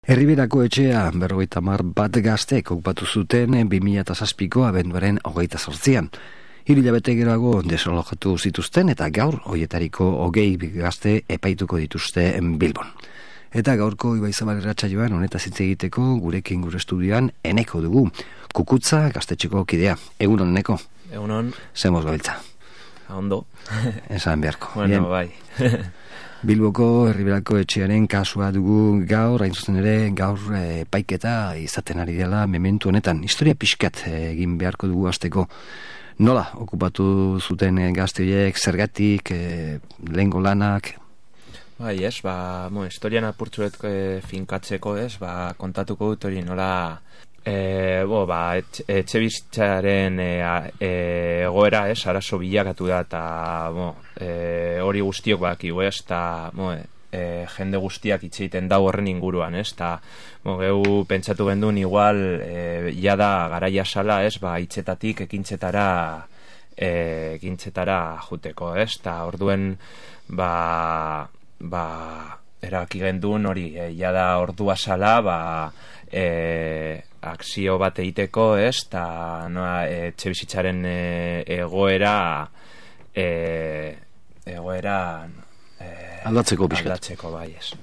Herriberako etxea 50 gaztek okupatu zuten 2007ko abenduaren 28an. 3 hilabete geroago desalojatu zituzten eta gaur hoietariko 20 gazte epaituko dituzte Bilbon. Eta gaurko Ibaizabal irratsaioan honetaz hitz egiteko gurekin gure estudioan Eneko dugu, Kukutza gaztetxeko kidea. Egunon, Eneko? Egunon. Zemoz gabiltza? Ondo. Esan beharko. Bueno, bai. Bilboko Herriberako etxearen kasua dugu gaur, hain zuzen ere, gaur epaiketa izaten ari dela mementu honetan. Historia pixkat egin beharko dugu hasteko. Nola okupatu zuten gazte horiek, zergatik, lehengo lanak? Bai, historian apurtzuet finkatzeko, kontatuko dut hori nola etxe bizitzaren egoera, arazo bilakatu da, eta hori guztiok bakigu, eta jende guztiak hitz egiten dau horren inguruan, eta geu pentsatu gendun igual jada garaia sala, hitzetatik ekintzetara juteko, eta orduen erabaki gendun hori jada ordua sala, akzio bat egiteko, eta etxe bizitzaren egoera aldatzeko pixkat. Aldatzeko, bai, ez.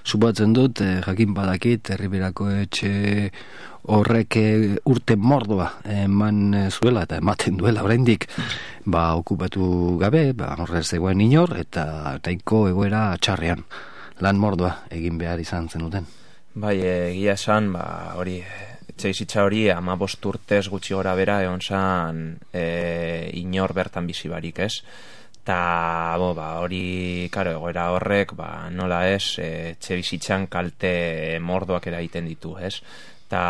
Subatzen dut, jakin badakit, Herriberako etxe horrek urte mordoa eman zuela eta ematen duela oraindik okupatu gabe, horrez zegoen inor, eta taiko egoera txarrean, lan mordoa egin behar izan zenuten. Bai, egia esan, hori, etxe bizitza hori 15 urtez gutxi gora bera egon zan inor bertan bizi barik, ez? Eta, hori, egoera horrek, nola ez, etxe bizitzan kalte mordoak eragiten ditu, ez? Eta,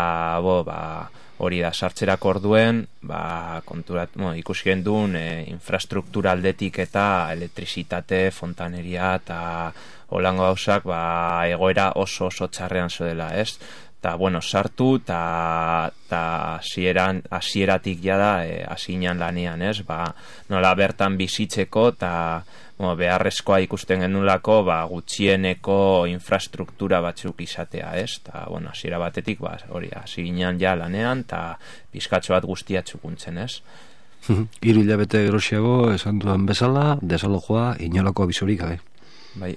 hori da, sartzerako orduen, ikusi gendun infrastruktura aldetik eta elektrizitate, fontaneria eta holango gauzak egoera oso txarrean zodela, ez? Eta, sartu eta hasieratik jada hasinan lanean, ez? Nola bertan bizitzeko eta beharrezkoa ikusten genulako gutxieneko infrastruktura batzuk izatea, ez? Eta, hasiera batetik hori hasinan ja lanean eta pizkatxo bat guztia txukuntzen, ez? 3 hilabete gerosiago esan duan bezala, desalojoa inolako abizurik gabe. Bai,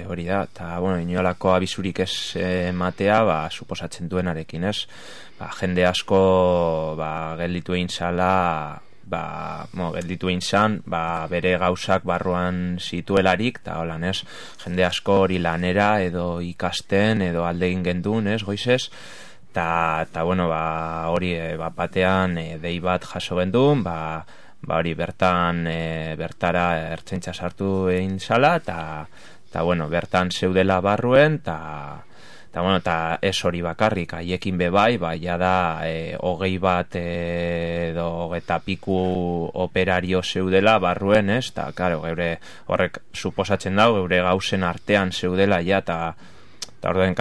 hori da, eta, inolako abisurik ez ematea, suposatzen duenarekin, ez? Jende asko, gelditu egin zala, gelditu egin zan, bere gauzak barruan zituelarik, eta holan, ez? Jende asko hori lanera, edo ikasten, edo alde egin gendun, ez, goizez? Eta, hori, batean, dei bat jaso gendun, hori bertara ertzaintza sartu egin zala, eta bertan zeudela barruen, eta ez hori bakarrik, haiekin bebai, jada 20 bat edo 20 piku operario zeudela barruen, ez? Eta, geure horrek suposatzen dau, geure gauzen artean zeudela, eta orduen,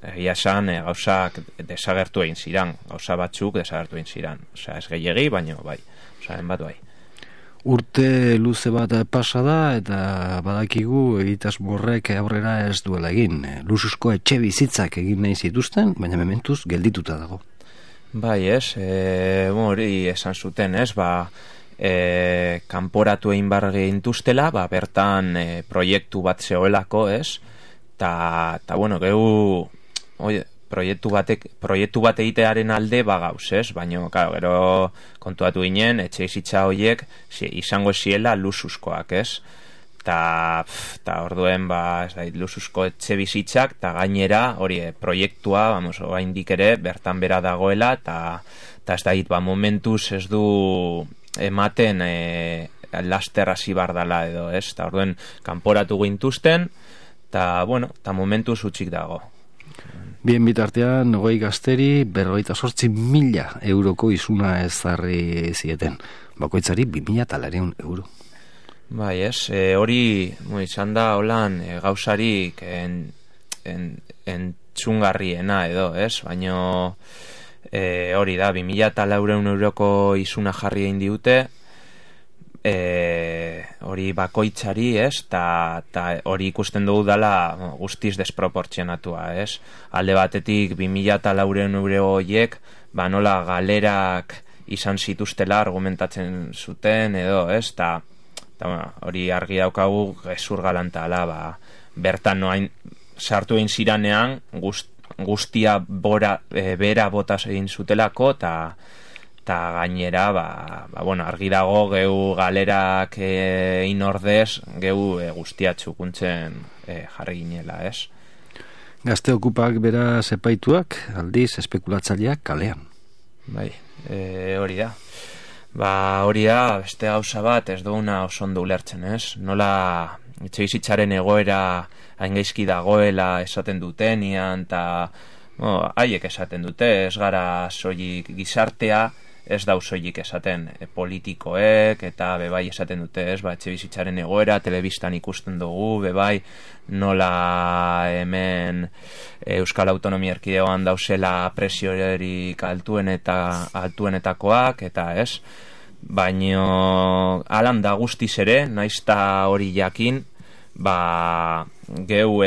egia esan, gauzak desagertu egin ziran, gauza batzuk desagertu egin ziran, ez gehiegi, baino, bai. Urte luze bat pasa da eta badakigu egitasmo horrek aurrera ez duela egin. Luxuzko etxe bizitzak egin nahi zituzten, baina mementuz geldituta dago. Bai, ez, hori esan zuten, ez, kanporatu egin bar gehintuztela, bertan proiektu bat zegoelako, ez, eta, gehu, proiektu bat egitearen alde gauz, ez? Baina, gero kontuatu ginen, etxe bizitza horiek izango ziela luxuzkoak, ez? Eta orduen, luxuzko etxe bizitzak, eta gainera, hori, proiektua, oraindik ere, bertan bera dagoela, eta ez da hit, momentuz ez du ematen laster hasi bardala edo, ez? Eta orduen, kanporatu gintuzten, eta momentuz utzik dago. Bien bitartean, 20 gazteri 58.000 euroko izuna ezarri zieten. Bakoitzari 2.200 euro. Bai, ez, hori izan da holan gauzarik entzungarriena edo, ez? Baina hori da, 2.200 euroko izuna jarri egin diute, hori bakoitzari, ez, eta hori ikusten dugu dela guztiz desproportzionatua, ez. Alde batetik 2.400 euro horiek, nola galerak izan zituztela argumentatzen zuten, edo, ez, eta hori argi daukagu gezur galantala, bertan noain sartu egin ziranean guztia bera botaz egin zutelako, eta gainera argi dago geu galerak inordez geu guztia txukuntzen jarri ginela, ez? Gazte okupak bera zepaituak, aldiz espekulatzaileak kalean. Bai, hori da. Hori da, beste gauza bat ez duguna oso ondo ulertzen, ez? Nola etxebizitzaren egoera hain gaizki dagoela esaten dutenian, eta haiek esaten dute, ez gara soilik gizartea, ez dau soilik esaten politikoek, eta bebai esaten dute, ez, etxebizitzaren egoera, telebistan ikusten dugu, bebai, nola hemen Euskal Autonomia Erkidegoan dauzela presiorik altuenetakoak, eta ez, baino alan da guztiz ere, naizta hori jakin, geu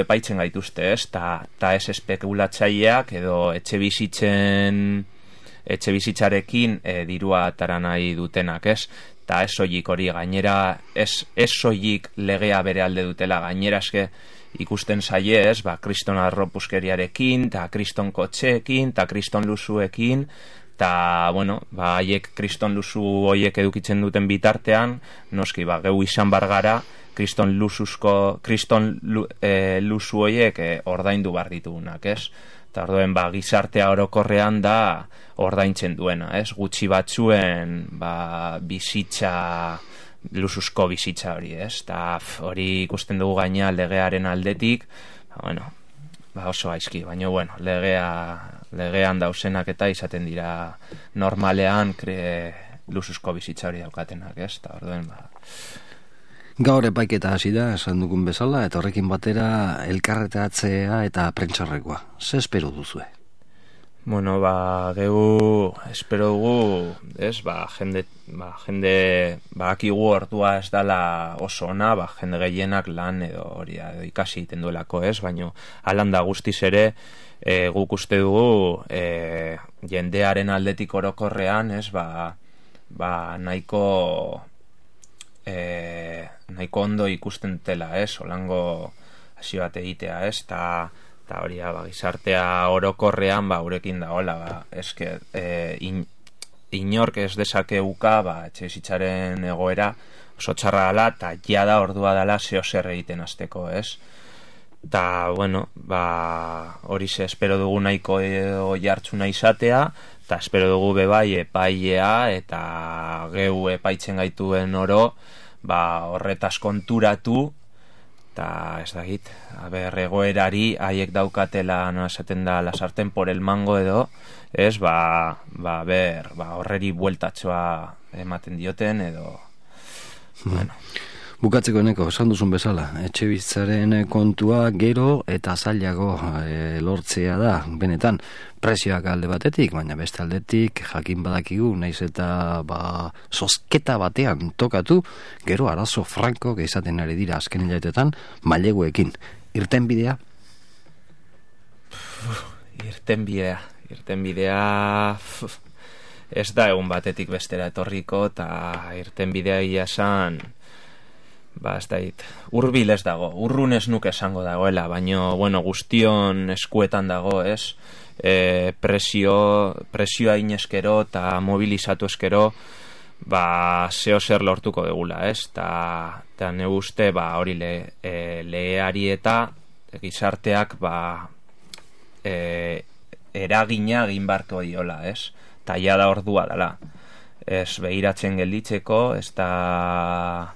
epaitzen gaituzte, ez, eta ez espekulatzaileak edo etxebizitzarekin dirua atara nahi dutenak, ez, eta ez soilik hori gainera, ez soilik legea bere alde dutela, gainera eske ikusten zaie, ez, kriston arropuskeriarekin, eta kriston kotxeekin, eta kriston luzuekin, eta, haiek kriston luzu horiek edukitzen duten bitartean, noski, geu izan bargara, kriston luzu horiek ordaindu bar ditugunak, ez? Eta orduen, gizartea orokorrean da ordaintzen duena, ez? Gutxi batzuen, bizitza, luzuzko bizitza hori, ez? Eta hori ikusten dugu gaina legearen aldetik, oso gaizki, baina, legean dausenak eta izaten dira normalean luzuzko bizitza hori daukatenak, ez? Eta orduen, Gaur epaiketa hasi da, esan dugun bezala, eta horrekin batera elkarretaratzea eta prentxarrekoa. Ze espero duzue? Geu espero dugu, ez, jende akigu ordua ez dala oso ona, jende gehienak lan edo hori edo ikasi egiten duelako, ez, baina alan da guztiz ere guk uste dugu jendearen aldetik orokorrean, ez, nahiko ondo ikusten dela, ez, olango hasi bat egitea, ez, eta hori gizartea orokorrean urekin da, eske inork ez dezakeuka etxebizitzaren egoera oso txarra dela, eta jada ordua dela zer egiten hasteko, ez, eta, hori espero dugu nahiko jartzuna izatea, eta espero dugu bebai epailea eta geu epaitzen gaituen oro horretaz konturatu, eta ez dakit, egoerari haiek daukatela, esaten da, lasarten por el mango edo, ez, horreri bueltatxoa ematen dioten edo, Bukatzeko eneko, esan duzun bezala, etxebizitzaren kontua gero eta zailago lortzea da, benetan, prezioak alde batetik, baina beste aldetik jakin badakigu, naiz eta zozketa batean tokatu, gero arazo franko izaten ari dira azken hilabetetan maileguekin. Irtenbidea? Irtenbidea ez da egun batetik bestera etorriko, eta irtenbidea ia esan, ez da hit, urbil ez dago, urrun ez nuke esango dagoela, baina, guztion eskuetan dago, ez, presioa ineskero eta mobilizatu eskero, zeo zer lortuko degula, ez, eta ne uste, hori legeari eta gizarteak, eragina egin barko diola, ez, eta ja da ordua dela, ez behiratzen gelditzeko, ez da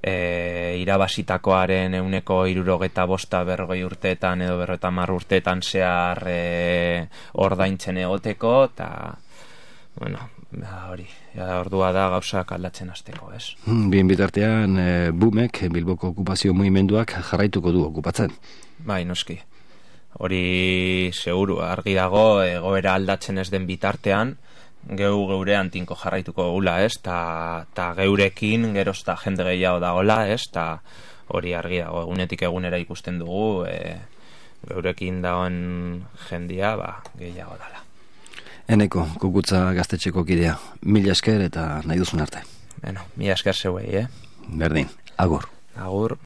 irabazitakoaren 75% urteetan edo 50 urteetan zehar ordaintzen egoteko, eta hori, ordua da gauzak aldatzen hasteko, ez? Bien bitartean, Bumek, Bilboko okupazio mugimenduak jarraituko du okupatzen. Bai, noski. Hori seguru, argi dago, egoera aldatzen ez den bitartean, geurean tinko jarraituko gula, ez? Ta geurekin geroz ta jende gehiago dagoela, ez? Ta hori argi dago, egunetik egunera ikusten dugu, geurekin dagoen jendia, gehiago dala. Eneko, Kukutza gaztetxeko kidea, mila esker eta nahi duzun arte. Bueno, mila esker zeuei, Berdin, agur. Agur.